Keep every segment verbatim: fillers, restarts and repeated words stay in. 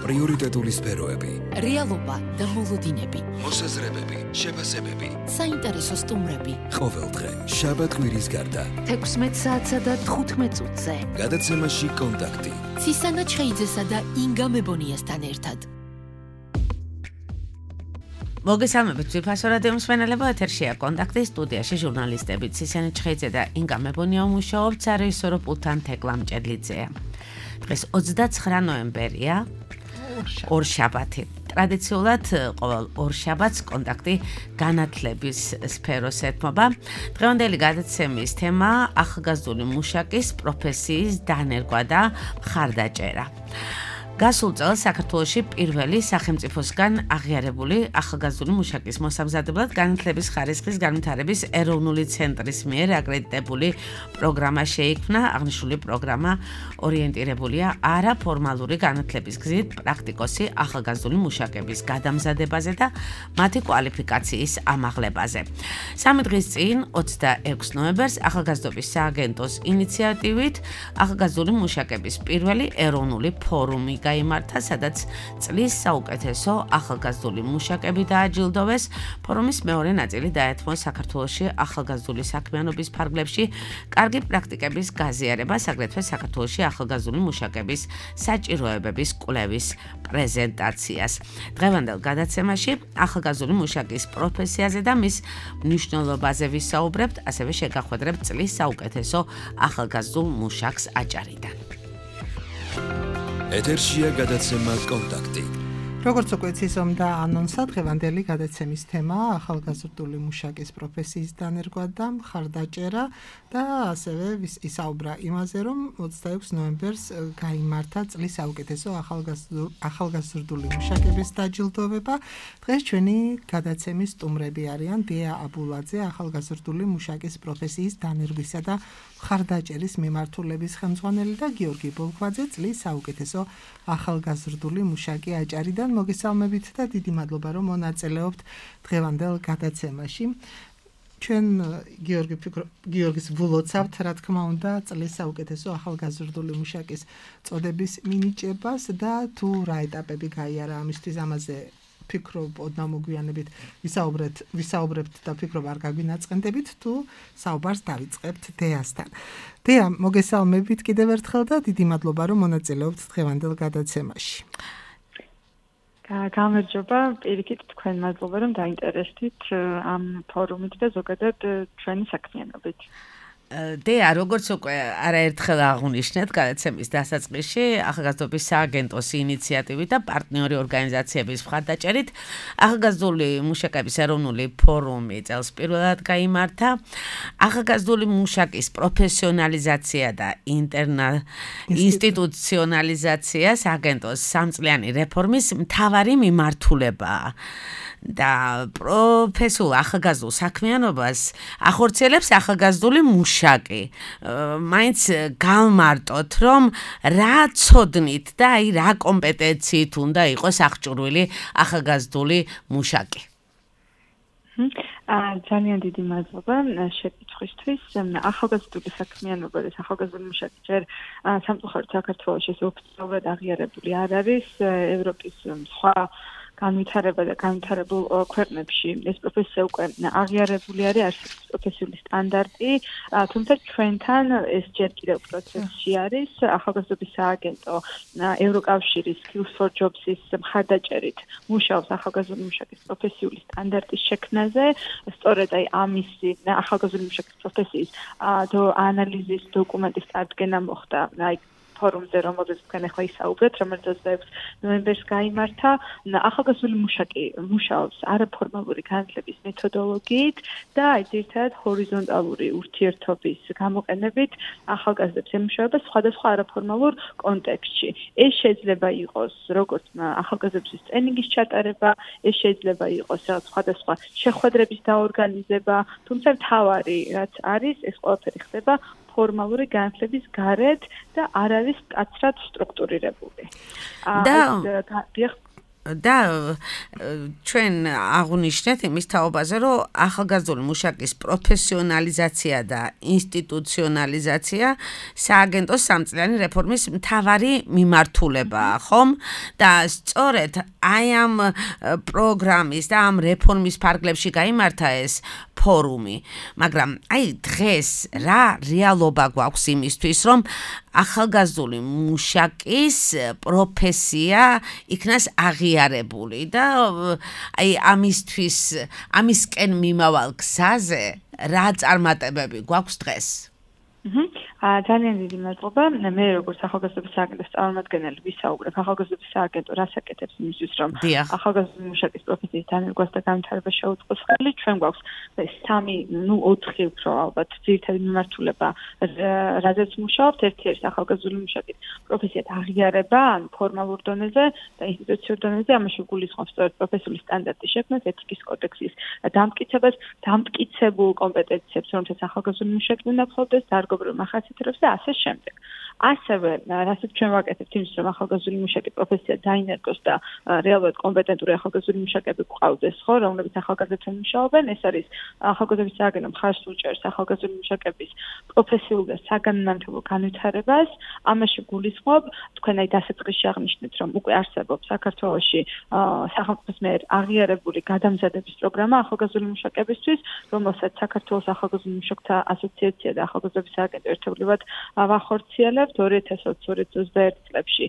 პრიორიტეტული სფეროები, რეალობა და მოლოდინები, მოსაზრებები, შეფასებები, საინტერესო სტუმრები. ყოველდღე შაბათ-კვირის გარდა თექვსმეტ საათსა და თხუთმეტ წუთზე. გადაცემაში კონტაქტი. ცისანა ჩხეიძესა და ინგა მებონიასთან ერთად. მოგესალმებით ვიფასო რადიო მსმენელებო, ეთერშია კონტაქტი, სტუდიაში ჟურნალისტები ცისანა ჩხეიძე და ინგა მებონია მუშაობთ, სარეჟისორო პულტთან თეკლა მჭედლიძეა. დღეს ოცდაცხრა ნოემბერია, ორშაბათი. ტრადიციულად ყოველ ორშაბათს კონტაქტი განათლების სფეროს ეთმობა. დღევანდელი გადაცემის თემა ახალგაზრდული მუშაკის პროფესიის დანერგვა და მხარდაჭერა. გასულ წელს საქართველოში პირველი სახელმწიფოსგან აღიარებული ახალგაზრდული მუშაკის მოსამზადებლად განათლების ხარისხის განვითარების ეროვნული ცენტრის მიერ აკრედიტებული პროგრამა შეიქმნა. აღნიშნული პროგრამა ორიენტირებულია არაფორმალური განათლების გზით პრაქტიკოსი ახალგაზრდული მუშაკების გადამზადებაზე და მათი კვალიფიკაციის ამაღლებაზე. სამი დღის წინ, ოცდაექვსი ნოემბერს, ახალგაზრდობის სააგენტოს ინიციატივით ახალგაზრდული მუშაკების პირველი ეროვნული ფორუმი გაიმართა, სადაც წლის საუკეთესო ახალგაზრდული მუშაკები დააჯილდოვეს. ფორუმის მეორე ნაწილი დაეთმო საქართველოში ახალგაზრდული საქმიანობის ფარგლებში კარგი პრაქტიკების გაზიარებას, აგრეთვე საქართველოში ახალგაზრდული მუშაკების საჭიროებების კვლევის პრეზენტაციას. დღევანდელ გადაცემაში ახალგაზრდული მუშაკის პროფესიაზე და მის მნიშვნელობაზე ვისაუბრებთ, ასევე შეგახვედრებთ წლის საუკეთესო ახალგაზრდულ მუშაკს აჭარიდან. ეთერშია გადაცემა კონტაქტი. როგორც უკვე ცისომდა ანონსა, დღევანდელი გადაცემის თემაა ახალგაზრდული მუშაკის პროფესიის დანერგვა და მხარდაჭერა და ასევე ისაუბრა იმაზე, რომ ოცდაექვსი ნოემბერს გაიმართა წლის საუკეთესო ახალგაზრდული მუშაკების დაჯილდოვება. დღეს ჩვენი გადაცემის სტუმრები არიან დია აბულაძე, ახალგაზრდული მუშაკის პროფესიის დანერგვისა და მხარდაჭერის მიმართულების ხელმძღვანელი და გიორგი ბოლქვაძე, წლის საუკეთესო ახალგაზრდული მუშაკი აჭარიდან. მოგესალმებით და დიდი მადლობა, რომ მონაწილეობთ დღევანდელ გადაცემაში. ჩვენ გიორგი გიორგის ვლოცავთ, რა თქმა უნდა, წლის საუკეთესო ახალგაზრდული მუშაკის წოდების მინიჭებას და თუ რა ეტაპები გაიარა ამისთვის, ამაზე ფიქრობ, ოდნა მოგვიანებით ვისაუბრეთ, ვისაუბრებთ და ფიქრობ არ გაგვინაწყენდებით, თუ საუბარს დავიწყებთ დეასთან. დეა, მოგესალმებით კიდევ ერთხელ და დიდი მადლობა, რომ მონაწილეობთ დღევანდელ გადაცემაში. გამარჯობა, პირიქით თქვენ მადლობა, რომ დაინტერესდით ამ ფორუმით და ზოგადად ჩვენი საქმიანობით. დეა, როგორც უკვე არაერთხელ აღნიშნეთ გადაცემის დასაწყისში, ახალგაზრდობის სააგენტოს ინიციატივით და პარტნიორი ორგანიზაციების მხარდაჭერით ახალგაზრდული მუშაკების ეროვნული ფორუმი წელს პირველად გაიმართა. ახალგაზრდული მუშაკის პროფესიონალიზაცია და ინსტიტუციონალიზაცია სააგენტოს სამწლიანი რეფორმის მთავარი მიმართულებაა. და პროფესიულ ახალგაზრდულ საქმიანობას ახორციელებს ახალგაზრდული მუშაკი. მაინც გავმარტოთ, რომ რა ცოდნით და აი რა კომპეტენციით უნდა იყოს აღჭურვილი ახალგაზრდული მუშაკი. ძალიან დიდი მადლობა შეკითხვისთვის. ახალგაზრდული საქმიანობა და ახალგაზრდული მუშაკი ჯერ სამწუხაროდ საქართველოში ოფიციალურად აღიარებული არ არის. ევროპის სხვა განვითარება და განვითარებულ ქვეყნებში ეს პროფესია უკვე აღიარებული არის, არსებობს პროფესიული სტანდარტი, თუმცა ჩვენთან ეს ჯერ კიდევ პროცესში არის. ახალგაზრდობის სააგენტო ევროკავშირის Skills for Jobs-ის მხარდაჭერით მუშაობს ახალგაზრდული მუშაკის პროფესიული სტანდარტის შექმნაზე. სწორედ აი ამისი ახალგაზრდული მუშაკის პროფესიის ანალიზის დოკუმენტის წარდგენა მოხდა აი ფორუმზე, რომელზეც თქვენ ახლა ისაუბრეთ, რომელიც ოცდაექვსი ნოემბერს გაიმართა. ახალგაზრდული მუშაკი მუშაობს არაფორმალური განათლების მეთოდოლოგიით და ძირითადად ჰორიზონტალური ურთიერთობის გამოყენებით ახალგაზრდებს ემუშავება სხვადასხვა არაფორმალურ კონტექსტში. ეს შეიძლება იყოს როგორც ახალგაზრდების ტრენინგის ჩატარება, ეს შეიძლება იყოს რაღაც სხვადასხვა შეხვედრების დაორგანიზება, თუმცა მთავარი რაც არის, ეს ყველაფერი ხდება ფორმალური განათლების გარეთ და არ არის მკაცრად სტრუქტურირებული. და და ჩვენ აღვნიშნეთ იმის თაობაზე, რომ ახალგაზრდული მუშაკის პროფესიონალიზაცია და ინსტიტუციონალიზაცია სააგენტოს სამწლიანი რეფორმის მთავარი მიმართულებაა, ხომ? და სწორედ აი ამ პროგრამის და ამ რეფორმის ფარგლებში გაიმართა ეს ფორუმი, მაგრამ აი დღეს რა რეალობა გვაქვს იმისთვის, რომ ახალგაზრდული მუშაკის პროფესია იქნას აღიარებული და აი ამისთვის ამისკენ მიმავალ გზაზე რა წარმატებები გვაქვს დღეს? აა ძალიან დიდი მადლობა. მე როგორც ახალგაზრდობის სააგენტოს წარმომადგენელი ვისაუბრებ ახალგაზრდობის სააგენტო რას აკეთებს იმისთვის, რომ ახალგაზრდული მუშაკის პროფესიის დანერგვას და განვითარებას შეუწყოს ხელი. ჩვენ გვაქვს სამი, ნუ ოთხი უფრო ალბათ ძირითადი მიმართულება, რაზეც მუშაობთ. ერთი არის ახალგაზრდული მუშაკის პროფესიად აღიარება, ან ფორმალურ დონეზე და ინსტიტუციურ დონეზე, ამაში გულისხმობს სწორედ პროფესიული სტანდარტის შექმნას, ეთიკის კოდექსის დამტკიცებას, დამტკიცებულ კომპეტენციებს, რომელსაც ახალგაზრდული მუშაკი უნდა ფლობდეს, დარგობრივ მახასიათებლებს და ასე შემდეგ. ასევე, რასაც ჩვენ ვაკეთებთ იმის, რომ ახალგაზრდული მუშაკი პროფესია დაინერგოს და რეალურად კომპეტენტური ახალგაზრდული მუშაკები გვყავდეს, ხო, რომლებიც ახალგაზრდებთან მუშაობენ, ეს არის ახალგაზრდობის სააგენტო მხარს უჭერს ახალგაზრდული მუშაკების პროფესიულ და საგანმანათლებლო განვითარებას, ამაში გულისხმობ, თქვენ აი დასაწყისში აღნიშნეთ, რომ უკვე არსებობს საქართველოში სახელმწიფოს მიერ აღიარებული გადამზადების პროგრამა ახალგაზრდული მუშაკებისთვის, რომელსაც საქართველოს ახალგაზრდული მუშაკთა ასოციაცია და ახალგაზრდობის სააგენტო ერთობლივად ვახორციელებთ. ორი ათას ოცი ორი ათას ოცდაერთი წლებში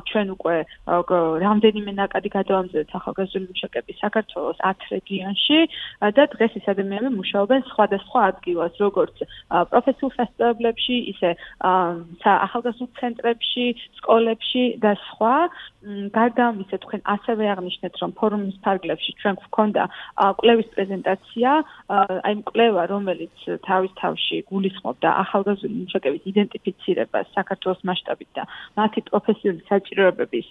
ჩვენ უკვე რამდენიმე ნაკადი გადავამზადეთ ახალგაზრდული მუშაკების საქართველოს ათი რეგიონში და დღეს ეს ადამიანები მუშაობენ სხვადასხვა ადგილას, როგორც პროფესიულ სასწავლებლებში, ისე ახალგაზრდულ ცენტრებში, სკოლებში და სხვა. გარდა ამისა, თქვენ ასევე აღნიშნეთ, რომ ფორუმის ფარგლებში ჩვენ გვქონდა კვლევის პრეზენტაცია, აი კვლევა, რომელიც თავის თავში გულისხმობდა ახალგაზრდული მუშაკების იდენტიფიცირებას საქართველოს მასშტაბით და მათი პროფესიული საჭიროებების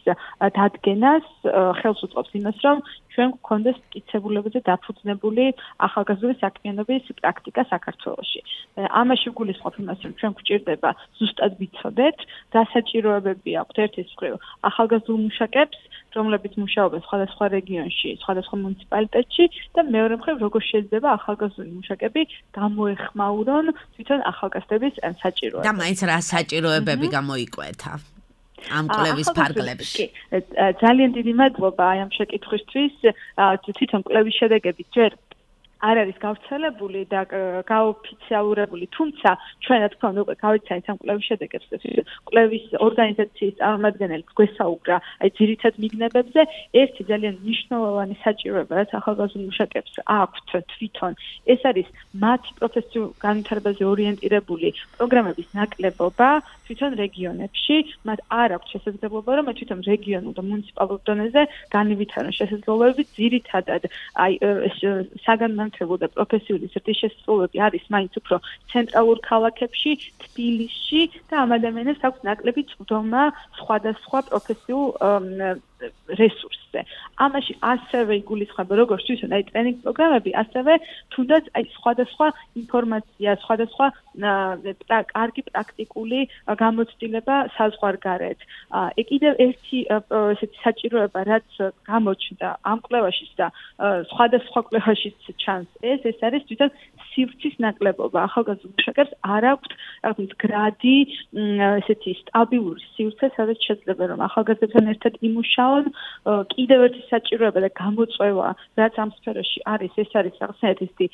დადგენას, ხელს უწყობს იმას, რომ ჩვენ გვქონდეს მტკიცებულებაზე დაფუძნებული ახალგაზრდული საქმიანობის პრაქტიკა საქართველოში. ამაში გულისხმობ იმას, რომ ჩვენ გვჭირდება ზუსტად ვიცოდეთ, რა საჭიროებები აქვთ ერთის მხრივ ახალგაზრდულ მუშაკებს, რომლებიც მუშაობენ სხვადასხვა რეგიონში, სხვადასხვა მუნიციპალიტეტში და მეორე მხრივ როგორ შეიძლება ახალგაზრდული მუშაკები გამოეხმაურონ თვითონ ახალგაზრდების საჭიროებებს. და მაინც რა საჭიროებები გამოიკვეთა ამ კვლევის ფარგლებში? ძალიან დიდი მადლობა აი ამ შეკითხვისთვის. თვითონ კვლევის შედეგები ჯერ არ არის გავრცელებული და გაოფიციალურებული, თუმცა ჩვენ რა თქმა უნდა უკვე გავიცანით ამ კვლევის შედეგებს. კვლევის ორგანიზაციის წარმომადგენელი გვესაუბრა აი ძირითად მიგნებებზე. ერთი ძალიან მნიშვნელოვანი საჭიროება, რაც ახალგაზრდულ მუშაკებს აქვთ თვითონ, ეს არის მათი პროფესიულ განვითარებაზე ორიენტირებული პროგრამების ნაკლებობა თვითონ რეგიონებში. მათ არ აქვთ შესაძლებლობა, რომ თვითონ რეგიონულ და მუნიციპალურ დონეზე განივითარონ შესაძლებლობები. ძირითადად აი საგანმანათლებლო და პროფესიული ზრდის შესაძლებლობები არის მაინც უფრო ცენტრალურ ქალაქებში, თბილისში და ამ ადამიანებს აქვს ნაკლები წვდომა სხვადასხვა პროფესიულ რესურსზე. ამაში ასევე იგულისხმება როგორც თვითონ აი ტრენინგ პროგრამები, ასევე თუნდაც აი სხვადასხვა ინფორმაცია, სხვადასხვა კარგი პრაქტიკული გამოცდილება საზღვარგარეთ. კიდევ ერთი ესეთი საჭიროება, რაც გამოჩნდა ამ კვლევაშიც და სხვადასხვა კვლევაშიც ჩანს, ეს ეს არის თვითონ სივრცის ნაკლებობა. ახალგაზრდულ მუშაკებს არ აქვთ რაღაც გრადი, ესეთი სტაბილური სივრცე, სადაც შეიძლება რომ ახალგაზრდებთან ერთად იმუშაონ. კიდევ ერთი საჭიროება და გამოწვევა, რაც ამ სფეროში არის, ეს არის რაღაცნაირად ისეთი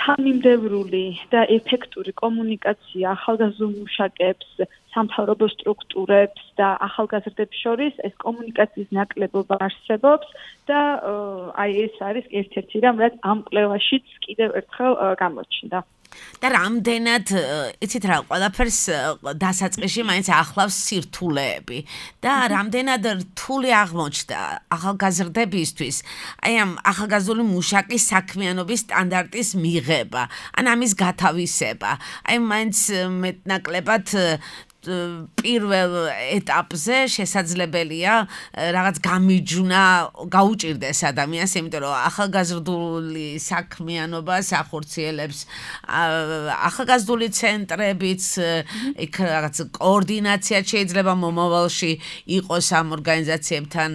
თანმიმდევრული და ეფექტური კომუნიკაცია ახალგაზრდულ მუშაკებს, სამთავრობო სტრუქტურებს და ახალგაზრდებს შორის. ეს კომუნიკაციის ნაკლებობა არსებობს და აი ეს არის ერთ-ერთი რამ, რაც ამ კვლევაშიც კიდევ ერთხელ გამოჩნდა. და რამდენად, იცით რა, ყველაფერს დასაწყისში მაინც ახლავს სირთულეები და რამდენად რთული აღმოჩნდა ახალგაზრდებისთვის აი ამ ახალგაზრდული მუშაკის საქმიანობის სტანდარტის მიღება, ან ამის გათავისება. აი მაინც მეტნაკლებად პირველ ეტაპზე შესაძლებელია რაღაც გამიჯვნა გაუჭირდეს ადამიანს, იმიტომ რომ ახალგაზრდული საქმიანობას ახორციელებს ახალგაზრდული ცენტრებიც, იქ რაღაც კოორდინაცია შეიძლება მომავალში იყოს ამ ორგანიზაციებთან,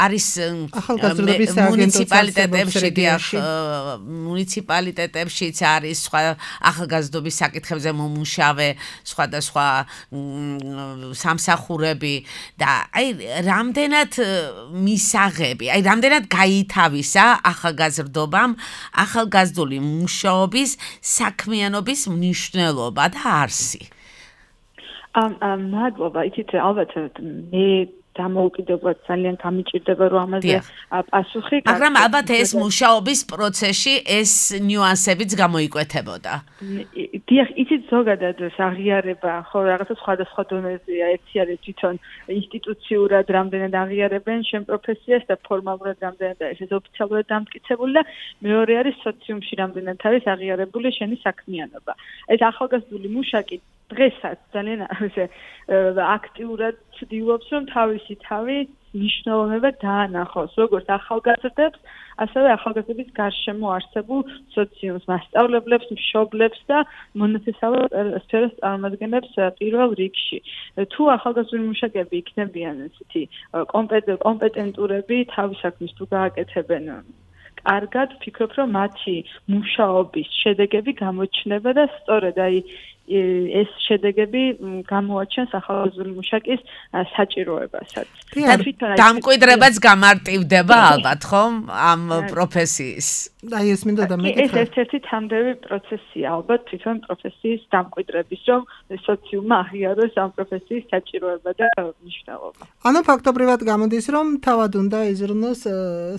არის მუნიციპალიტეტებში, მუნიციპალიტეტებშიც არის სხვა ახალგაზრდობის საკითხებზე მომუშავე სხვადასხვა სამსახურები და აი რამდენად მისაღები, აი რამდენად გაითავისა ახალგაზრდობამ ახალგაზრდული მუშაობის საქმიანობის მნიშვნელობა და არსი. ამ მადლობა, იცით ალბათ მე დამოუკიდებლად ძალიან გამიჭირდება რომ ამაზე პასუხი გაკეთდეს. მაგრამ ალბათ ეს მუშაობის პროცესში ეს ნიუანსებიც გამოიკვეთებოდა. დიახ, იცით ზოგადად აღიარება, ხო, რაღაცა სხვადასხვა დონეზეა, ერთი არის თვითონ ინსტიტუციურად რამდენად აღიარებენ შენ პროფესიას და ფორმალურად რამდენად არის ეს ოფიციალურად დამტკიცებული და მეორე არის სოციუმში რამდენად არის აღიარებული შენი საქმიანობა. ეს ახალგაზრდული მუშაკი დღესაც ძალიან ასე აქტიურად ცდილობს რომ თავისი თავი მნიშვნელობა დაანახოს როგორც ახალგაზრდებს, ასევე ახალგაზრდების გარშემო არსებულ სოციუმს, მასწავლებლებს, მშობლებს და მონათესავე სფეროს წარმომადგენლებს პირველ რიგში. თუ ახალგაზრდული მუშაკები იქნებიან ესეთი კომპეტენტურები თავის საქმეს თუ გააკეთებენ კარგად, ვფიქრობ რომ მათი მუშაობის შედეგები გამოჩნდება და სწორედ აი ეს შედეგები გამოაჩენს ახალგაზრდული მუშაკის საჭიროებასაც. დამკვიდრებაც გამარტივდება ალბათ, ხომ, ამ პროფესიის. აი ეს მინდა და მეკითხა. ეს ერთ-ერთი თანდები პროცესია, ალბათ თვითონ პროფესიის დამკვიდრების, რომ სოციუმმა აღიაროს ამ პროფესიის საჭიროება და მნიშვნელობა. ანუ ფაქტობრივად გამოდის, რომ თავად უნდა იზრუნოს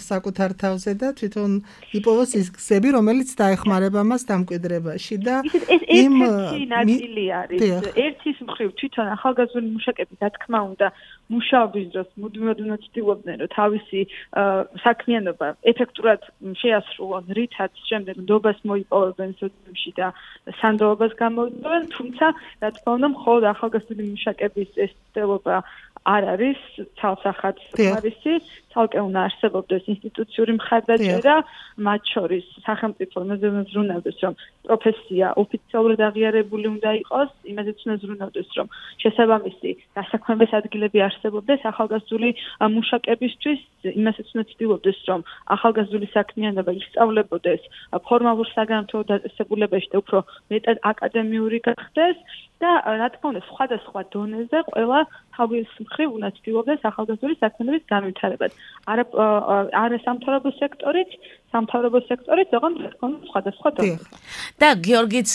საკუთარ თავზე და თვითონ იპოვოს ის გზები, რომელიც დაეხმარება მას დამკვიდრებაში და იმ ნაწილი არის. ერთის მხრივ თვითონ ახალგაზრდული მუშაკები, რა თქმა უნდა, მუშაობის დროს მუდმივად უნდა ცდილობდნენ, რომ თავისი საქმიანობა ეფექტურად შეასრულონ, რითაც შემდეგ ნდობას მოიპოვებენ სოციუმში და სანდოობას გამოიწვევენ, თუმცა რა თქმა უნდა, მხოლოდ ახალგაზრდული მუშაკების ეს ცდილობა არ არის ცალსახად არის, ცალკე უნდა არსებობდეს ინსტიტუციური მხარდაჭერა, მათ შორის სახელმწიფო უნდა ზრუნავდეს, რომ პროფესია ოფიციალურად აღიარებული უნდა იყოს, იმაზეც უნდა ზრუნავდეს, რომ შესაბამისი დასაქმების ადგილები არსებობდეს ახალგაზრდული მუშაკებისთვის, იმასაც უნდა ცდილობდეს, რომ ახალგაზრდული საქმიანობა ისწავლებოდეს ფორმალურ საგანმანათლებლო დაწესებულებაში და უფრო მეტად აკადემიური გახდეს და რა თქმა უნდა, სხვადასხვა დონეზე ყველა თავის მხრივ უნდა ცდილობდეს ახალგაზრდული საქმიანობის განვითარებას. არა არა სამთავრობო სექტორით, სამთავრობო სექტორით, ოღონდ რა თქმა უნდა, სხვადასხვა დონეზე. და გიორგიც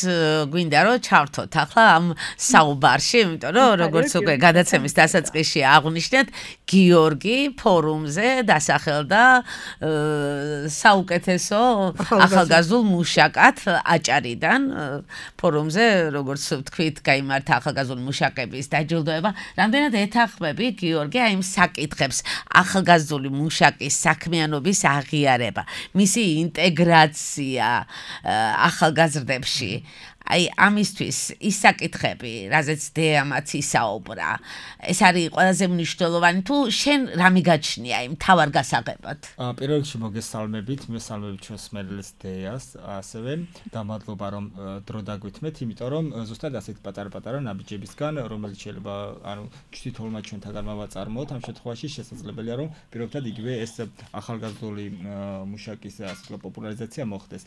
გვინდა რომ ჩავთოთ ახლა ამ საუბარში, იმიტომ რომ როგორც უკვე გადაცემის დასაწყისში აღვნიშნეთ, გიორგი ფორუმზე დასახელდა საუკეთესო ახალგაზრდულ მუშაკად აჭარიდან. ფორუმზე, როგორც ვთქვით, გაიმართა ახალგაზრდული მუშაკების დაჯილდოება. რამდენად ეთანხმები გიორგი აი იმ საკითხებს, ახალგაზრდული მუშაკის საქმიანობის აღიარება, მისი ინტეგრაცია ახალგაზრდებში. აი ამისთვის ის საკითხები, რაზეც დეამაც ისაუბრა, ეს არის ყველაზე მნიშვნელოვანი თუ შენ რა მიგაჩნია იმ თავარ გასაღებად? პირველ რიგში მოგესალმებით, მესალმებით ჩვენს მერილს დეას, ასევე და მადლობა რომ დრო დაგვითმეთ, იმიტომ რომ ზუსტად ასეთ პატარ-პატარა ნაბიჯებისგან, რომელიც შეიძლება ანუ თვითონმა ჩვენთაგან მოვაწარმოოთ, ამ შემთხვევაში შესაძლებელია რომ პირობითად იგივე ეს ახალგაზრდული მუშაკის ასეთი პოპულარიზაცია მოხდეს.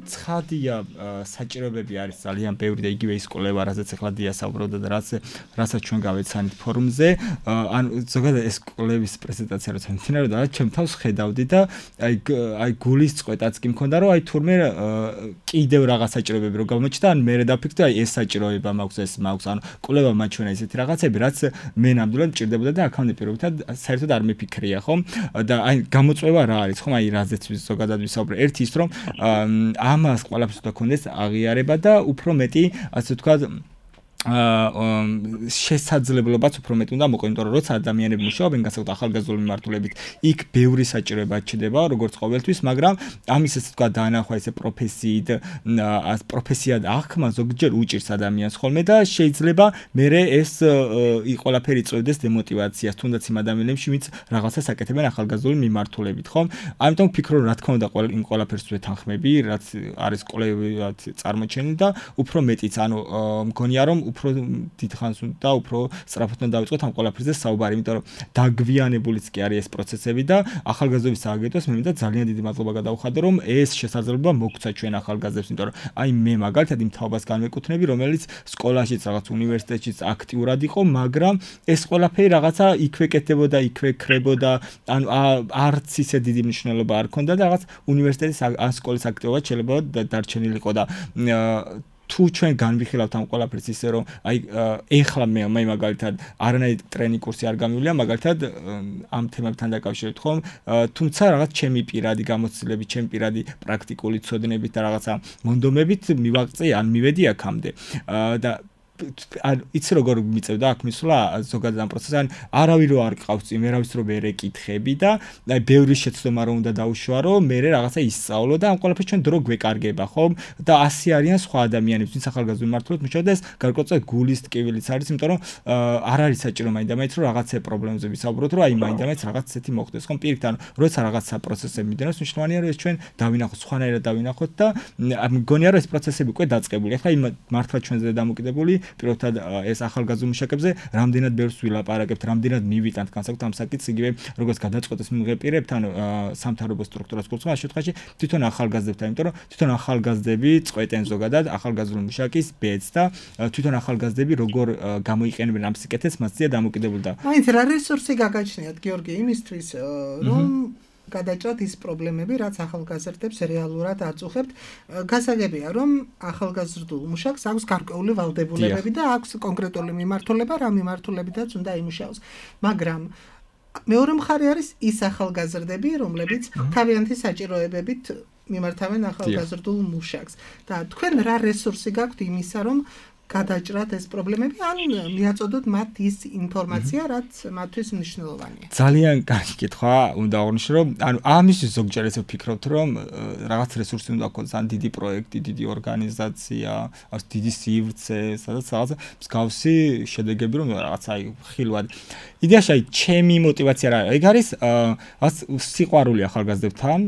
ცხადია საჭიროებები არის ძალიან ბევრი და იგივე ის კვლევა, რასაც ახლა დიასაუბრობდა და რაც რასაც ჩვენ გავეცანით ფორუმზე, ან ზოგადად ეს კვლევის პრეზენტაცია როცა მიმდინარეობდა, ჩემ თავს ხედავდი და აი აი გულის წყვეტაც კი მქონდა, რომ აი თურმე კიდევ რაღაც საჭიროებები რო გამოჩნდა, ან მე დაფიქრდი, აი ეს საჭიროება მაქვს, ეს მაქვს, ანუ კვლევა მაჩვენა ისეთი რაღაცები, რაც მე ნამდვილად მჭირდებოდა და აქამდე პირობითად საერთოდ არ მეფიქრია, ხო? და აი გამოწვევა რა არის, ხო? აი რაზეც ზოგადად ვისაუბრე, ერთი ის რომ ამას ყველაფერს უნდა ქონდეს აღიარება და უფრო მეტი, ასე ვთქვათ, შესაძლებლობაც უფრო მეტ უნდა მოყვა, იმიტომ რომ როცა ადამიანები მუშაობენ განსაკუთრებით ახალგაზრდული მიმართულებით, იქ ბევრი საჭიროება ჩდება, როგორც ყოველთვის, მაგრამ ამის ესე თქვა დაანახვა ესე პროფესიით, პროფესიად აღქმა ზოგჯერ უჭირს ადამიანს ხოლმე და შეიძლება მერე ეს ყველაფერი წვევდეს დემოტივაციას, თუნდაც იმ ადამიანებში, ვინც რაღაცას აკეთებენ ახალგაზრდული მიმართულებით, ხო? ამიტომ ვფიქრობ, რა თქმა უნდა, იმ ყველაფერს ვეთანხმები, რაც არის კვლევად წარმოჩენილი და უფრო მეტიც, ანუ მგონია რომ უფრო დიდხანს და უფრო სწრაფად უნდა დავიწყოთ ამ ყველაფერზე საუბარი, იმიტომ რომ დაგვიანებულიც კი არის ეს პროცესები და ახალგაზრდობის სააგენტოს მე მინდა ძალიან დიდი მადლობა გადავხადო, რომ ეს შესაძლებლობა მოგცა ჩვენ ახალგაზრდებს, იმიტომ რომ აი მე მაგალითად იმ თაობას განვეკუთვნები, რომელიც სკოლაშიც რაღაც უნივერსიტეტშიც აქტიურად იყო, მაგრამ ეს ყველაფერი რაღაცა იქვე კეთდებოდა, იქვე ქრებოდა, ანუ არც ისე დიდი მნიშვნელობა არ ქონდა და რაღაც უნივერსიტეტის ან სკოლის აქტივობა შეიძლება დარჩენილიყო და თუ ჩვენ განვიხილავთ ამ ყველაფერს ისე რომ აი ეხლა მე მე მაგალითად არანაირი ტრენინგ კურსი არ გამივიდა მაგალითად ამ თემებთან დაკავშირებით ხომ თუმცა რაღაც ჩემი პირადი გამოცდილებით, ჩემი პირადი პრაქტიკული ცოდნებით და რაღაცა მონდომებით მივაღწე ან მივედი აქამდე და ან იცი როგორ მიწევდა აქ მისვლა ზოგადად ამ პროცესს ან არავინ რო არ ყავს წინ ვერავის რო ვერ ეკითხები და აი ბევრი შეცდომა რო უნდა დაუშვა რომ მე რაღაცა ისწავლო და ამ ყველაფერს ჩვენ დრო გვეკარგება ხომ და ასი არიან სხვა ადამიანები ვინც ახალგაზრდული მმართველად მუშაობენ და ეს გარკვეულწილად გულის ტკივილიც არის იმიტომ რომ არ არის საჭირო მაინდა-მაინც რომ რაღაცე პრობლემებზე ვისაუბროთ რომ აი მაინდა-მაინც რაღაც ისეთი მოხდეს ხომ პირიქით ანუ როცა რაღაცა პროცესები მიდენოს მნიშვნელოვანია რომ ეს ჩვენ დავინახოთ სხვანაირად დავინახოთ და მგონია რომ ეს პროცესები უკვე დაწყებული ახლა იმ მართლა ჩვენზე დამოკიდებული პირველად ეს ახალგაზრდულ მუშაკებზე რამდენად ბევრს ვილაპარაკებთ, რამდენად მივიტანთ განსაკუთრებით ამ საკითხს იგივე როგორც გადაწყვეტის მიღებ პირებთან სამთავრობო სტრუქტურას გულწრფელს ამ შემთხვევაში თვითონ ახალგაზრდებთან, იმიტომ რომ თვითონ ახალგაზრდები წყვეტენ ზოგადად ახალგაზრდული მუშაკის ბედს და თვითონ ახალგაზრდები როგორ გამოიყენებენ ამ სიკეთეს მასზეა დამოკიდებული და მაინც რა რესურსი გაგაჩნიათ გიორგი იმისთვის რომ გადაჭრათ ის პრობლემები, რაც ახალგაზრდებს რეალურად აწუხებთ. გასაგებია, რომ ახალგაზრდულ მუშაკს აქვს გარკვეული ვალდებულებები და აქვს კონკრეტული მიმართულება, რა მიმართულებითაც უნდა იმუშაოს. მაგრამ მეორე მხარე არის ის ახალგაზრდები, რომლებიც თავიანთი საჭიროებებით მიმართავენ ახალგაზრდულ მუშაკს. და თქვენ რა რესურსი გაქვთ იმისა, რომ გადაჭრათ ეს პრობლემები ან მიაწოდოთ მათ ის ინფორმაცია, რაც მათთვის მნიშვნელოვანია. ძალიან კარგი კითხვა, უნდა აღნიშნო, რომ ანუ ამისთვის ზოგჯერ ესე ვფიქრობთ, რომ რაღაც რესურსი უნდა გქონდეს, ან დიდი პროექტი, დიდი ორგანიზაცია, ან დიდი სივრცე, სადაც რაღაც მსგავსი შედეგები რომ რაღაც აი ხილვად. იდეაში აი ჩემი мотиваცია რა არის? ეგ არის ას სიყვარული ახალგაზრდებთან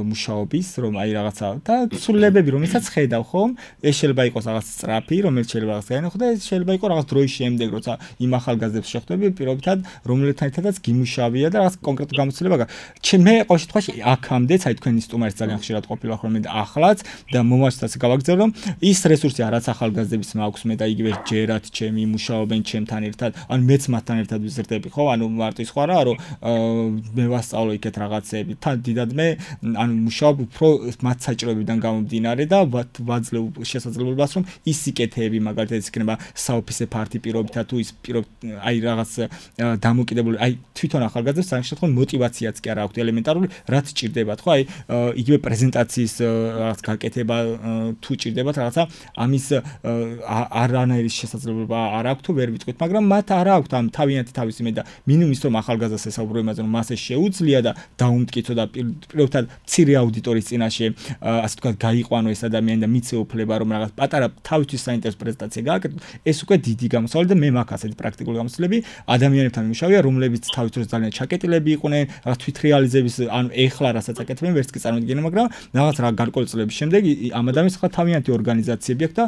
მუშაობის, რომ აი რაღაცა და ცვლილებები, რომელსაც ხედავ ხომ, ეს შეიძლება იყოს რაღაც სწრაფი, რომელიც რაღაც გაინახო და ეს შეიძლება იყოს რაღაც დროის შემდეგ, როცა იმ ახალგაზრდებს შეხვდები პირობითად, რომლებთან ერთადაც გიმუშავია და რაღაც კონკრეტული გამოცდილება გაქვს. მე ყოველ შემთხვევაში აქამდეც, აი თქვენი სტუმარიც ძალიან ხშირად ყოფილა ხოლმე და ახლაც და მომავალშიც გავაგზავნე, რომ ის რესურსი რაც ახალგაზრდების მაქვს მე და იგივე ჯერათ ჩემი მუშაობენ ჩემთან ერთად, ან მეც მათთან ერთად ვიზრდები, ხო? ანუ მარტო სხვა რა, რომ მე ვასწავლო იქეთ რაღაცეები. თან დიდად მე ანუ მუშაობ უფრო მათ საჭიროებიდან გამომდინარე და ვაძლევ შესაძლებლობას, რომ ის სიკეთეები მაგალითად იქნება საოფისე ფარტი პირობითად თუ ის პირობ აი რაღაც დამოკიდებული აი თვითონ ახალგაზრდებს ამ შემთხვევაში мотиваციაც კი არ აქვს ელემენტარული რაც ჭირდებათ ხო აი იგივე პრეზენტაციის რაღაც გაკეთება თუ ჭირდებათ რაღაცა ამის არანაირი შესაძლებლობა არ აქვს თუ ვერ ვიტყვით მაგრამ მათ არ აქვს ამ თავიანთი თავისი მე და მინიმუმ ის რომ ახალგაზრდას ესაუბრო იმაზე რომ მას ეს შეუძლია და დაუმტკიცო და პირობითად მცირე აუდიტორიის წინაშე ასე ვთქვათ გაიყვანო ეს ადამიანი და მიცე უფლება რომ რაღაც პატარა თავისთვის საინტერესო პრეზენტაცია გააკეთო ეს უკვე დიდი გამოსავალი და მე მაქვს ასეთი პრაქტიკული გამოცდილები ადამიანებთან მუშავია რომლებიც თავის დროს ძალიან ჩაკეტილები იყვნენ რაღაც თვითრეალიზების ანუ ეხლა რასაც აკეთებენ ვერც კი წარმოგიდგენენ მაგრამ რაღაც რა გარკვეული წლების შემდეგ ამ ადამიანს ხა თავიანთი ორგანიზაციები აქვს და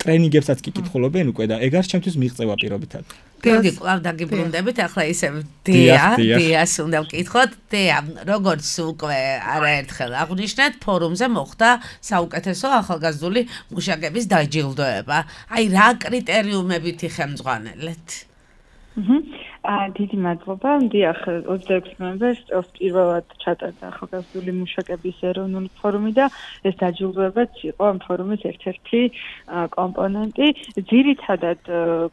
ტრენინგებსაც კი კითხულობენ უკვე და ეგ არის ჩემთვის მიღწევა პირობითად გიორგი კლავ დაგიბრუნდებით ახლა ისე დეა დეას უნდა ვკითხოთ დეა როგორც უკვე არაერთხელ აღვნიშნეთ ფორუმზე მოხდა საუკეთესო ახალგაზრდული მუშაკების დაჯილდოება აი რა კრიტერიუმებით იხელმძღვანელეთ? აა დიდი მადლობა. დიახ, ოცდაექვსი ნოემბერს წელს პირველად ჩატარდა ახალგაზრდული მუშაკების ეროვნული ფორუმი და ეს დაჯილდოებაც იყო ამ ფორუმის ერთ-ერთი კომპონენტი. ძირითადად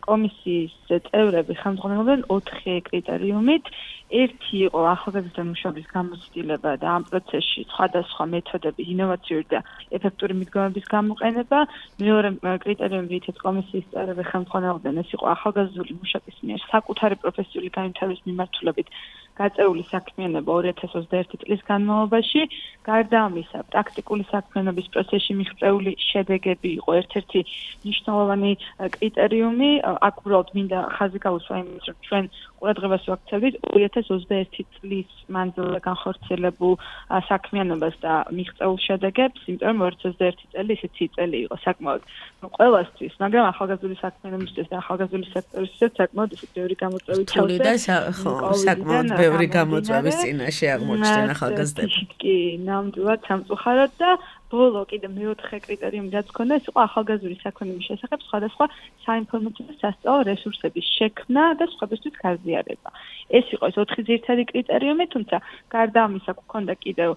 კომისიის წევრები ხელმძღვანელობდნენ ოთხი კრიტერიუმით. ერთი იყო ახალგაზრდა მუშაკების გამოცდილება და ამ პროცესში სხვადასხვა მეთოდების ინოვაციური და ეფექტური მიდგომების გამოყენება. მეორე კრიტერიუმი, რითაც კომისიის წევრები ხელმძღვანელობდნენ, ეს იყო ახალგაზრდული მუშაკის მიერ საკუთარი პროფესიული განვითარების მიმართულებით გაწეული საქმიანობა ორი ათას ოცდაერთი წლის განმავლობაში. გარდა ამისა, პრაქტიკული საქმიანობის პროცესში მიღწეული შედეგები იყო ერთ-ერთი მნიშვნელოვანი კრიტერიუმი. აქ უბრალოდ მინდა ხაზი გაუსვა იმის, რომ ჩვენ ყურადღებას ვაქცევდით ორი ათას ოცდაერთი წლის მანძილზე განხორციელებულ საქმიანობას და მიღწეულ შედეგებს, იმიტომ რომ ორი ათას ოცდაერთი წელი ისეთი წელი იყო საკმაოდ ყველასთვის, მაგრამ ახალგაზრდული საქმიანობისთვის და ახალგაზრდული სექტორისთვის საკმაოდ ისეთი ბევრი გამოწვევით რთული და საკმაოდ ბევრი გამოწვევის წინაშე აღმოჩნდნენ ახალგაზრდები. კი, ნამდვილად სამწუხაროდ და ბოლო კიდე მეოთხე კრიტერიუმი რაც ჰქონდა, ეს იყო ახალგაზრდული საქმიანობის შესახებ სხვადასხვა საინფორმაციო და სასწავლო რესურსების შექმნა და სხვებისთვის გაზიარება. ეს იყო ეს ოთხი ძირითადი კრიტერიუმი, თუმცა გარდა ამისა გვქონდა კიდევ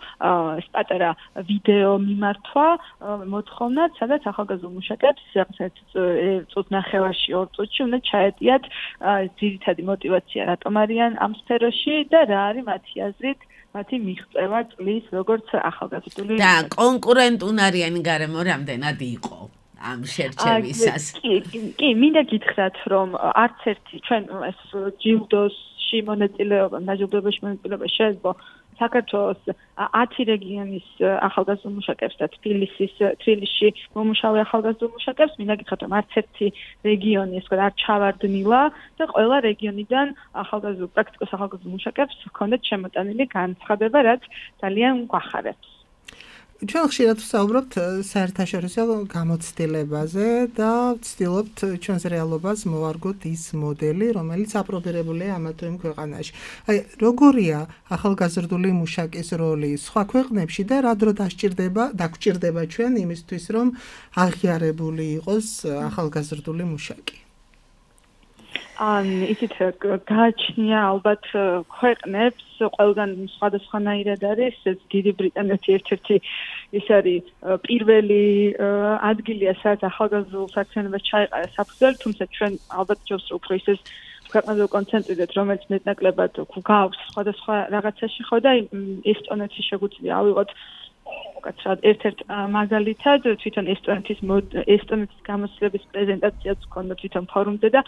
ეს პატარა ვიდეო მიმართვა მოთხოვნაც, სადაც ახალგაზრდულ მუშაკებს რაღაც წუთ ნახევარში ორ წუთში უნდა ჩაეტიათ ძირითადი мотиваცია რატომ არიან ამ სფეროში და რა არის მათი აზრით მათი მიღწევა წლის როგორც ახალგაზრდული და კონკურენტუნარიანი გარემო რამდენად იყო ამ შერჩევისას. კი, კი, მინდა გითხრათ, რომ არც ერთი ჩვენ ეს ჯილდოსში მონაწილეობა, დაჯილდოებაში მონაწილეობა შეიძლება საქართველოს ათი რეგიონის ახალგაზრდულ მუშაკებს და თბილისის თბილისში მომუშავე ახალგაზრდულ მუშაკებს მინდა გითხრათ, რომ არც ერთი რეგიონი ეს არ ჩავარდნილა და ყველა რეგიონიდან ახალგაზრდულ პრაქტიკოს ახალგაზრდულ მუშაკებს ჰქონდათ შემოტანილი განცხადება, რაც ძალიან გვახარებს. ჩვენ ხშირად ვსაუბრობთ საერთაშორისო გამოცდილებაზე და ვცდილობთ ჩვენს რეალობას მოვარგოთ ის მოდელი, რომელიც აპრობირებულია ამა თუ იმ ქვეყანაში. აი, როგორია ახალგაზრდული მუშაკის როლი სხვა ქვეყნებში და რა დრო დასჭირდება, დაგჭირდება ჩვენ იმისთვის, რომ აღიარებული იყოს ახალგაზრდული მუშაკი? ან ისეთ გააჩნია ალბათ ქვეყნებს ყველგან სხვადასხვანაირად არის ეს დიდი ბრიტანეთი ერთ-ერთი ის არის პირველი ადგილია სადაც ახალგაზრდულ საქმიანობას ჩაეყარა საფუძველი, თუმცა ჩვენ ალბათ ჯობს უფრო ისეს ქვეყნაზე კონცენტრირდეთ, რომელიც მეტნაკლებად გვაქვს სხვადასხვა რაღაცაში ხო და ესტონეთში შეგვიძლია ავიღოთ უკაცრავად ერთ-ერთ მაგალითად თვითონ ესტონეთის ესტონეთის გამოცდილების პრეზენტაციაც ჰქონდა თვითონ ფორუმზე და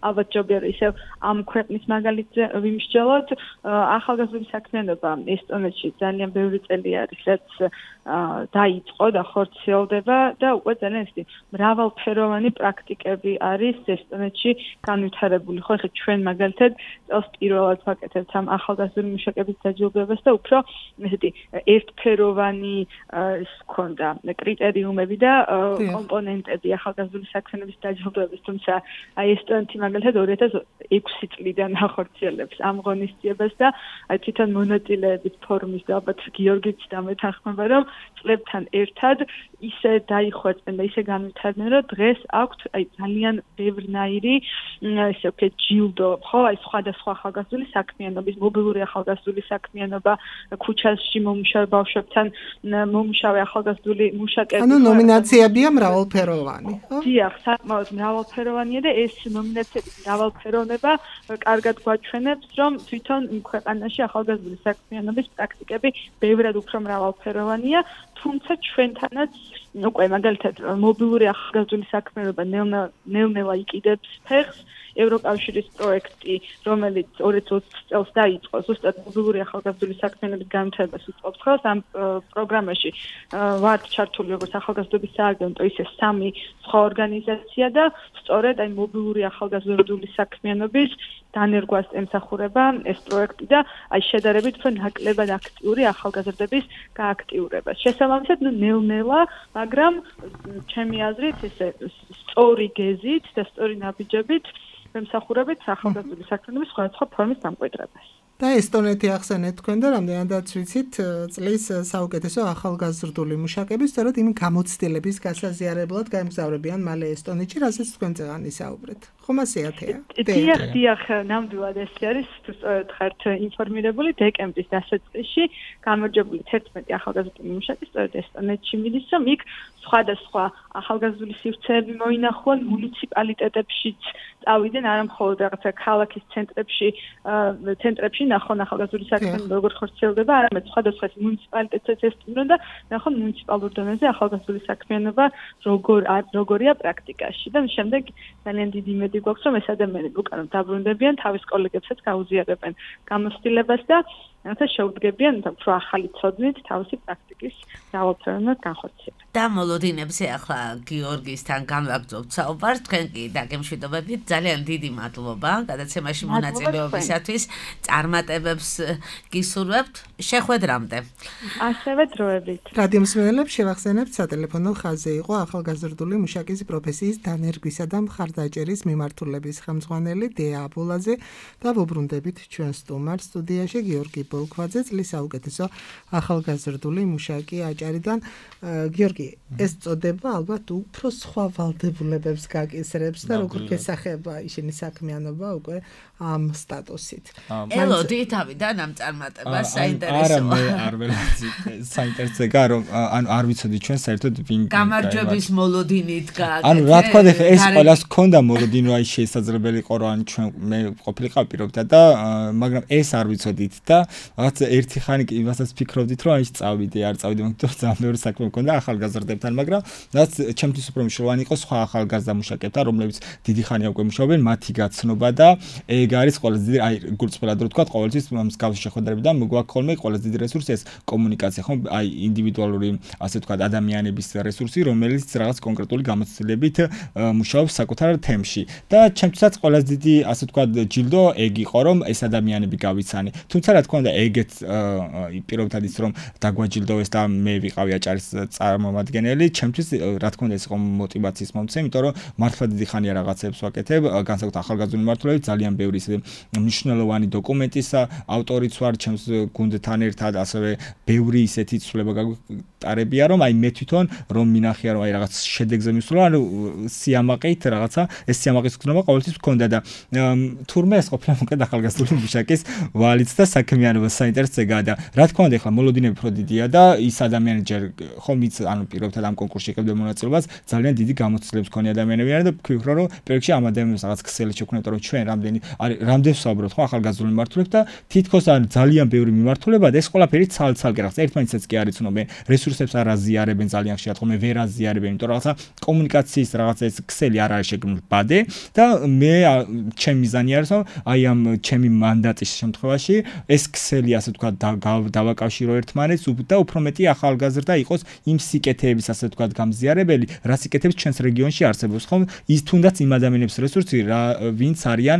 ალბათ ჯობია რომ ისევ ამ ქვეყნის მაგალითზე ვიმსჯელოთ. ახალგაზრდული საქმიანობა ესტონეთში ძალიან ბევრი წელი არის, რაც დაიწყო და ხორციელდება და უკვე ძალიან ისეთი მრავალფეროვანი პრაქტიკები არის ესტონეთში განვითარებული. ხო, ეხლა ჩვენ მაგალითად წელს პირველად ვაკეთებთ ამ ახალგაზრდული მუშაკების დაჯილდოებას და უფრო ესეთი ერთფეროვანი ის ქონდა კრიტერიუმები და კომპონენტები ახალგაზრდული საქმიანობის დაჯილდოების, თუმცა აი ესტონეთი მაგალითად ორი ათას ექვსი წლიდან ახორციელებს ამ ღონისძიებას და აი თვითონ მონაწილეების ფორუმის და ალბათ გიორგიც დამეთანხმება, რომ წლებთან ერთად ისე დაიხვეწენ და ისე განვითარდნენ, რომ დღეს აქვთ აი ძალიან ბევრნაირი ესე ვქეთ ჯილდო, ხო, აი სხვადასხვა ახალგაზრდული საქმიანობის, მობილური ახალგაზრდული საქმიანობა, ქუჩაში მომუშავე ბავშვებთან მომუშავე ახალგაზრდული მუშაკები. ანუ ნომინაციებია მრავალფეროვანი, ხო? დიახ, საკმაოდ მრავალფეროვანია და ეს ნომინაციების მრავალფეროვნება კარგად გვაჩვენებს, რომ თვითონ ქვეყანაში ახალგაზრდული საქმიანობის პრაქტიკები ბევრად უფრო მრავალფეროვანია, თუმცა ჩვენთანაც უკვე მაგალითად მობილური ახალგაზრდული საქმიანობა ნელ-ნელა იყიდებს ფეხს. ევროკავშირის პროექტი, რომელიც ორი ათას ოცდაათი წელს დაიწყო, ზუსტად მობილური ახალგაზრდული საქმიანობის განვითარებას უწყობს ხელს. ამ პროგრამაში ვართ ჩართული როგორც ახალგაზრდობის სააგენტო, ისე სამი სხვა ორგანიზაცია და სწორედ აი მობილური ახალგაზრდული საქმიანობის დანერგვას ემსახურება ეს პროექტი და აი შედარებით უფრო ნაკლებად აქტიური ახალგაზრდების გააქტიურება. შესაბამისად, ნუ ნელ-ნელა, მაგრამ ჩემი აზრით, ესე სწორი გეზით და სწორი ნაბიჯებით ემსახურებით ახალგაზრდული საქმიანობის სხვადასხვა ფორმის დამკვიდრებას. და ესტონეთი ახსენეთ თქვენ და რამდენადაც ვიცით წლის საუკეთესო ახალგაზრდული მუშაკები სწორედ იმ გამოცდილების გასაზიარებლად გაემგზავრებიან მალე ესტონეთში, რასაც თქვენ წეგან ისაუბრეთ. ხომ ასეათია? დიახ, დიახ, ნამდვილად ეს არის, თუ სწორად ხართ ინფორმირებული, დეკემბრის დასაწყისში გამარჯვებული თერთმეტი ახალგაზრდული მუშაკი სწორედ ესტონეთში მიდის, რომ იქ სხვადასხვა ახალგაზრდული სივრცეები მოინახულან მუნიციპალიტეტებშიც წავიდნენ, არა მხოლოდ რაღაცა ქალაქის ცენტრებში, ცენტრებში ნახონ ახალგაზრდული საქმე როგორ ხორციელდება, არამედ სხვადასხვა მუნიციპალიტეტებიც ესტუმრონ და ნახონ მუნიციპალურ დონეზე ახალგაზრდული საქმიანობა როგორ როგორია პრაქტიკაში და შემდეგ ძალიან დიდი იმედი გვაქვს, რომ ეს ადამიანები უკან დაბრუნდებიან, თავის კოლეგებსაც გაუზიარებენ გამოცდილებას და რათა შეუდგებიან უფრო ახალი ცოდნით თავისი პრაქტიკის ძალაუფლებას განხორციელებას. და მოლოდინებზე ახლა გიორგისთან განვაგრძობთ საუბარს, თქვენ კი დაგემშვიდობებით, ძალიან დიდი მადლობა გადაცემაში მონაწილეობისათვის, წარმატებებს გისურვებთ, შეხვედრამდე. ასევე დროებით. რადიო მსმენელებს შევახსენებთ, სატელეფონო ხაზზე იყო ახალგაზრდული მუშაკის პროფესიის დანერგვისა და მხარდაჭერის მიმართულების ხელმძღვანელი დეა აბულაძე და ვუბრუნდებით ჩვენ სტუმარ სტუდიაში გიორგი ბოლქვაძე, წლის საუკეთესო ახალგაზრდული მუშაკი აჭარიდან. გიორგი, ეს წოდება ალბათ უფრო სხვა ვალდებულებებს გაკისრებს და როგორ გესახება ისინი საქმიანობა უკვე ამ სტატუსით. ელოდი თავიდან ამ წარმატებას საინტერესოა. არა, მე არ ველაცი საინტერესოა, რომ ანუ არ ვიცოდი ჩვენ საერთოდ ვინ გამარჯვების მოლოდინით გააკეთე. ანუ რა თქმა უნდა, ეს ყველას ჰქონდა მოლოდინო, აი შესაძლებელი იყო რომ ჩვენ მე ყოფილიყავ პირობდა და მაგრამ ეს არ ვიცოდით და რაღაც ერთი ხანი კი იმასაც ფიქრობდით, რომ აი წავიდე, არ წავიდე, მაგრამ ძალიან მეორე საქმე მქონდა ახალგაზრდებთან, მაგრამ რაც ჩემთვის უფრო მნიშვნელოვანი იყო სხვა ახალგაზრდა მუშაკებთან, რომლებიც დიდი ხანია უკვე მუშაობენ, მათი გაცნობა და ეგ არის ყველაზე დიდი, აი გულწრფელად რო ვთქვა, ყოველთვის მსგავსი შეხვედრებიდან მოგვაქვს ხოლმე ყველაზე დიდი რესურსი ეს კომუნიკაცია, ხო, აი ინდივიდუალური, ასე ვთქვა, ადამიანების რესურსი, რომელიც რაღაც კონკრეტული გამოცდილებით მუშაობს საკუთარ თემში. და ჩემთვისაც ყველაზე დიდი, ასე ვთქვა, ჯილდო ეგ იყო, რომ ეს ადამიანები გავიცანი. თუმცა რა თქმა უნდა, ეგეც პირობითად ის რომ დაგვაჯილდოვეს და მე ვიყავი აჭარის წარმომადგენელი, ჩემთვის რა თქმა უნდა ეს იყო мотиваციის მომცემი, იმიტომ რომ მართლა დიდი ხანია რაღაცებს ვაკეთებ, განსაკუთრებით ახალგაზრდული მიმართულებით ძალიან ბევრი ისე მნიშვნელოვანი დოკუმენტის ავტორიც ვარ, ჩემს გუნდთან ერთად, ასევე ბევრი ისეთი ცვლილება გაგიტარებია, რომ აი მე თვითონ რომ მინახია რომ აი რაღაც შედეგზე მისვლა, ანუ სიამაყით რაღაცა, ეს სიამაყის გზნობა ყოველთვის მქონდა და თურმე ეს ყოფილა მოკლედ ახალგაზრდული მუშაკის ვალიც და საქმიანობა საინტერესოა და რა თქმა უნდა, ახლა მოლოდინები უფრო დიდია და ის ადამიანი ჯერ ხომ იც ანუ პირობითად ამ კონკურსში ეკებდა მონაწილეობას, ძალიან დიდი გამოცდილების მქონე ადამიანები არიან და ვფიქრობ, რომ პერიოდში ამ ადამიანებს რაღაც ქსელი შექმნათ, რომ ჩვენ რამდენი არის რამდენს ვსაუბრობთ ხო ახალგაზრდული მიმართულებით და თითქოს არის ძალიან ბევრი მიმართულება და ეს ყველაფერი ცალ-ცალკე რაღაც ერთმანეთსაც კი არ იცნობენ, რესურსებს არ აზიარებენ ძალიან ხშირად, ხოლმე ვერ აზიარებენ, იმიტომ რომ რაღაცა კომუნიკაციის რაღაცა ეს ქსელი არ არის შექმნილი ბადე და მე ჩემი მიზანი არის, რომ აი ამ ჩემი მანდატის შემთხვევაში ეს ქსელი ასე ვთქვა დავაკავშირო ერთმანეთს და უფრო მეტი ახალგაზრდა იყოს იმ სიკეთეების ასე ვთქვათ გამზიარებელი, რა სიკეთებს ჩვენს რეგიონში არსებობს, ხომ? ის თუნდაც იმ ადამიანების რესურსი, ვინც არიან,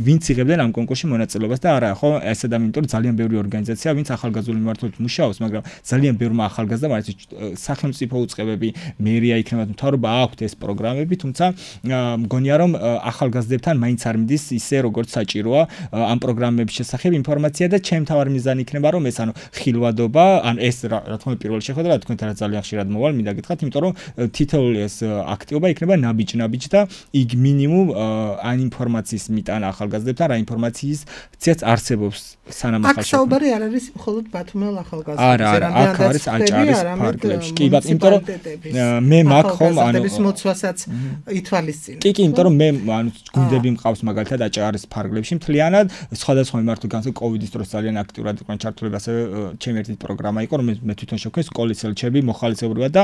ვინც იღებდნენ ამ კონკურსში მონაწილეობას და არა, ხო? ეს ადამიანი, იმიტომ რომ ძალიან ბევრი ორგანიზაცია, ვინც ახალგაზრდული მიმართულებით მუშაობს, მაგრამ ძალიან ბევრმა ახალგაზრდამ არის სახელმწიფო უწყებები, მერია იქნება, მთავრობა აქვთ ეს პროგრამები, თუმცა მგონია რომ ახალგაზრდებთან მაინც არ მიდის ისე როგორც საჭიროა ამ პროგრამების შესახებ ინფორმაცია და ჩემ თავარ მიზანი იქნება რომ ეს ანუ ხილვადობა, ან ეს რა თქმა უნდა პირველი შეხვედრა თქვენთან ძალიან ხშირად მოვალ, მინდა გითხრათ, იმიტომ რომ თითოეული ეს აქტივობა იქნება ნაბიჯ-ნაბიჯ და იქ მინიმუმ ან ინფორმაციის მიტანა ახალგაზრდებთან, რა ინფორმაციისცაც არსებობს სანამ ახალ შეხვედრა. აქ საუბარი არ არის მხოლოდ ბათუმელ ახალგაზრდებზე, არა, არა, აქ არის აჭარის ფარგლებში. კი, ბატონო, იმიტომ რომ მე მაგ ხომ ანუ ახალგაზრდების მოცვასაც ითვალისწინებ. კი, კი, იმიტომ რომ მე ანუ გუნდები მყავს მაგალითად აჭარის ფარგლებში მთლიანად, სხვადასხვა მიმართულებით, განსაკუთრებით კოვიდის დროს ძალიან აქტიურად იყვნენ ჩართულები, ასევე ჩემი ერთი პროგრამა იყო, რომელიც მე თვითონ შევქმნი სკოლის ელჩები მოხალისეობრივად და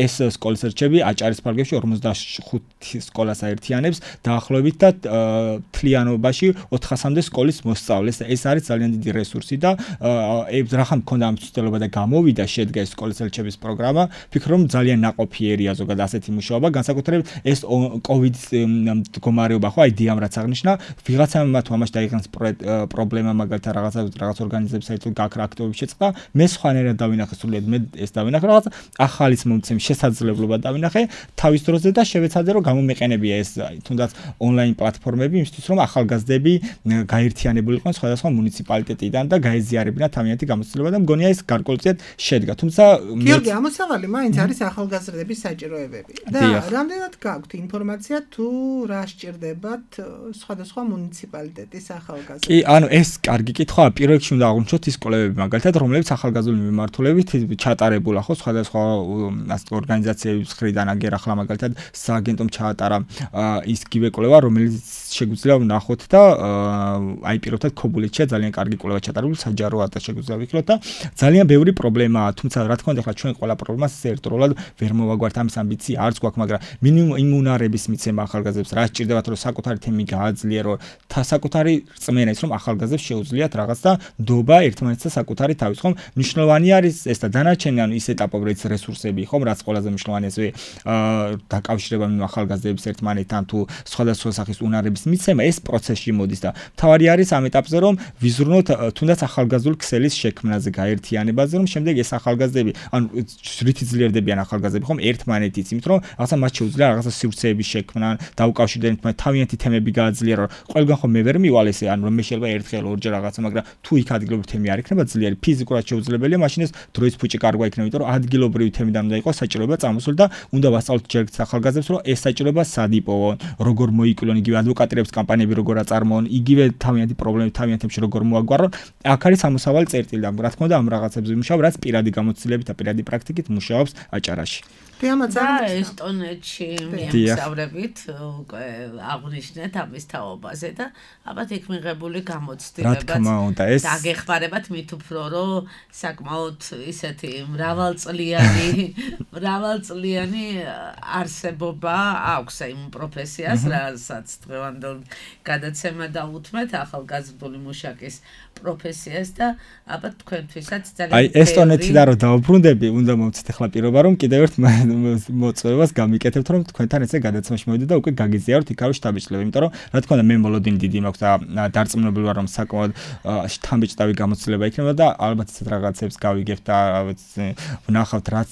ეს სკოლის ელჩები აჭარის ფარგლებში ორმოცდახუთი სკოლას აერთიანებს დაახლოებით და თლიანობაში ოთხასამდე სკოლის მოსწავლეს. ეს არის ძალიან დიდი რესურსი და რახან მქონდა ამ ცდელობა და გამოვიდა შედგა ეს სკოლის ელჩების პროგრამა, ვფიქრობ რომ ძალიან ნაყოფიერია ზოგადად ასეთი მუშაობა, განსაკუთრებით ეს კოვიდის მდგომარეობა ხო, აი დიამ რაც აღნიშნა, ვიღაცამ მათ ამაში დაიღეს პრობლემა მაგალითად რაღაცა რაღაც ორგანიზების საერთოდ გაქრა აქტივობები შეწყდა, მე სხვანაირად დავინახე სულიად მე ეს დავინახე რაღაც ახალის მომცემ შესაძლებლობა დავინახე თავის დროზე და შევეცადე რომ გამომეყენებია ეს თუნდაც ონლაინ პლატფორმები იმისთვის რომ ახალგაზრდები გაერთიანებულიყვნენ სხვადასხვა მუნიციპალიტეტიდან და გაეზიარებინათ თავიანთი გამოცდილება და მგონია ეს გარკვეულწილად შედგა. თუმცა გიორგი, ამოსავალი მაინც არის ახალგაზრდების საჭიროებები. და რამდენად გაქვთ ინფორმაცია თუ რა სჭირდებათ სხვადასხვა მუნიციპალიტეტის ახალგაზრდებს? კი, ანუ ეს კარგი კითხვაა. პირველ რიგში უნდა აღვნიშნოთ ის სკოლებები, მაგალითად, რომლებიც ახალგაზრდული მიმართულებით ჩატარებულა ხო სხვადასხვა ორგანიზაციების მხრიდან აგერ ახლა მაგალითად სააგენტომ ჩაატარა ის გივე კვლევა, რომელიც შეგვიძლია ვნახოთ და აი პირობითად ქობულეთშია ძალიან კარგი კვლევა ჩატარებული, საჯარო ატას შეგვიძლია ვიქნოთ და ძალიან ბევრი პრობლემაა, თუმცა რა თქმა უნდა, ახლა ჩვენ ყველა პრობლემას ერთდროულად ვერ მოვაგვართ, ამის ამბიცია არც გვაქვს, მაგრამ მინიმუმ იმუნარების მიცემა ახალგაზრდებს რა სჭირდებათ, რომ საკუთარი თემი გააძლიერო, საკუთარი რწმენა ის, რომ ახალგაზრდებს შეუძლიათ რაღაც და ნდობა ერთმანეთსა საკუთარი თავის, ხომ? მნიშვნელოვანი არის ეს და დანარჩენი, ანუ ის ეტაპობრივი რესურსები, ხომ, რაც ყველაზე მნიშვნელოვანია, ესე დაკავშირება იმ ახალგაზრდების ერთმანეთთან თუ სხვადასხვა სახის უნარების მიცემა, ეს პროცესში მოდის და თავარი არის ამ ეტაპზე, რომ ვიზრუნოთ თუნდაც ახალგაზრდული ქსელის შექმნაზე, გაერთიანებაზე, რომ შემდეგ ეს ახალგაზრდები, ანუ რითი ძლიერდებიან ახალგაზრდები, ხომ, ერთმანეთიც, იმიტომ რომ რაღაცა მათ შეუძლია რაღაცა სივრცეების შექმნა, დაუკავშირდნენ ერთმანეთს, თავიანთი თემები გააძლიერონ. ყველგან ხომ მე ვერ მივალ ესე, ანუ რომ მე შეიძლება ერთხელ ორჯერ რაღაცა, მაგრამ თუ იქ ადგილობრივი თემი არ იქნება ძლიერი, ფიზიკურად შეუძლებელია, მაშინ ეს დროის ფუჭი კარგვა იქნება, იმიტომ რომ ადგილობრივი თემიდან უნდა იყოს საჭიროება წამოსული და უნდა ვასწავლოთ ჯერგს ახალგაზრდებს, რომ ეს საჭიროება სად იპოვონ, როგორ მოიკლონ, იგივე ადვოკატირების კამპანიები როგორ აწარმოონ, იგივე თავიანთი პრობლემები თავიანთი თემში როგორ მოაგვარონ. აქ არის სამოსავალი წერტილი და რა თქმა უნდა ამ რაღაცებზე მუშაობ, რაც პირადი გამოცდილებით და პირადი პრაქტიკით მუშაობს აჭარაში. და ესტონეთში მიემგზავრებით უკვე აღნიშნეთ ამის თაობაზე და ალბათ იქ მიღებული გამოცდილებაც დაგეხმარებათ მით უფრო რომ საკმაოდ ისეთი მრავალწლიანი მრავალწლიანი არსებობა აქვს იმ პროფესიას, რასაც დღევანდელ გადაცემა დაუთმეთ ახალგაზრდული მუშაკის პროფესიას და ალბათ თქვენთვისაც ძალიან აი ესტონეთიდან რომ დავუბრუნდები, უნდა მოვცეთ ახლა პირობა რომ კიდევ ერთ მოწვევას გამიკეთებთ, რომ თქვენთან ესე გადაცემაში მოვიდეთ და უკვე გაგიზიაროთ იქარო შტაბიჭლები, იმიტომ რომ რა თქმა უნდა მე მოლოდინი დიდი მაქვს და დარწმუნებული ვარ რომ საკმაოდ შთამბეჭდავი გამოცდილება იქნება და ალბათ ისეთ რაღაცებს გავიგებთ და ვნახავთ რაც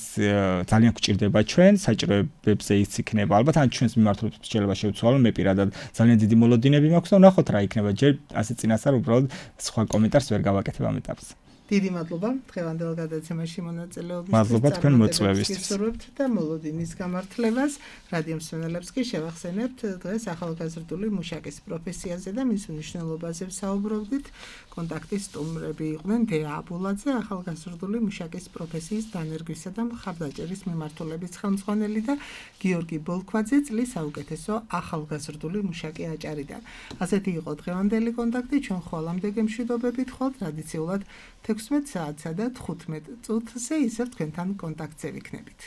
ძალიან გვჭირდება ჩვენ საჭიროებებზე ის იქნება. ალბათ ან ჩვენს მიმართულებით შეიძლება შევცვალო, მე პირადად ძალიან დიდი მოლოდინები მაქვს და ვნახოთ რა იქნება. ჯერ ასე წინასწარ უბრალოდ სხვა კომენტარს ვერ გავაკეთებ ამ ეტაპზე. დიდი მადლობა დღევანდელ გადაცემაში მონაწილეობისთვის. მადლობა თქვენ მოწვევისთვის. გისურვებთ და მოლოდინის გამართლებას. რადიო მსმენელებს კი შევახსენებთ დღეს ახალგაზრდული მუშაკის პროფესიაზე და მის მნიშვნელობაზე ვსაუბრობდით. კონტაქტის სტუმრები იყვნენ დეა აბულაძე, ახალგაზრდული მუშაკის პროფესიის დანერგვისა და მხარდაჭერის მიმართულების ხელმძღვანელი და გიორგი ბოლქვაძე, წლის საუკეთესო ახალგაზრდული მუშაკი აჭარიდან. ასეთი იყო დღევანდელი კონტაქტი, ჩვენ ხვალამდე გემშვიდობებით ხვალ ტრადიციულად თექვსმეტ საათსა და თხუთმეტ წუთზე ისევ თქვენთან კონტაქტზე ვიქნებით.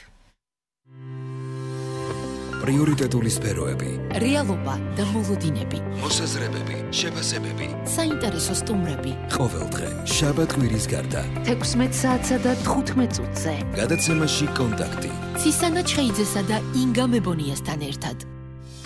პრიორიტეტული სფეროები, რეალობა და მოლოდინები, მოსაზრებები, შეფასებები, საინტერესო სტუმრები. ყოველდღე შაბათ კვირის გარდა თექვსმეტ საათსა და თხუთმეტ წუთზე. გადაცემაში კონტაქტი. ცისანა ჩხეიძესა და ინგა მებონიასთან ერთად.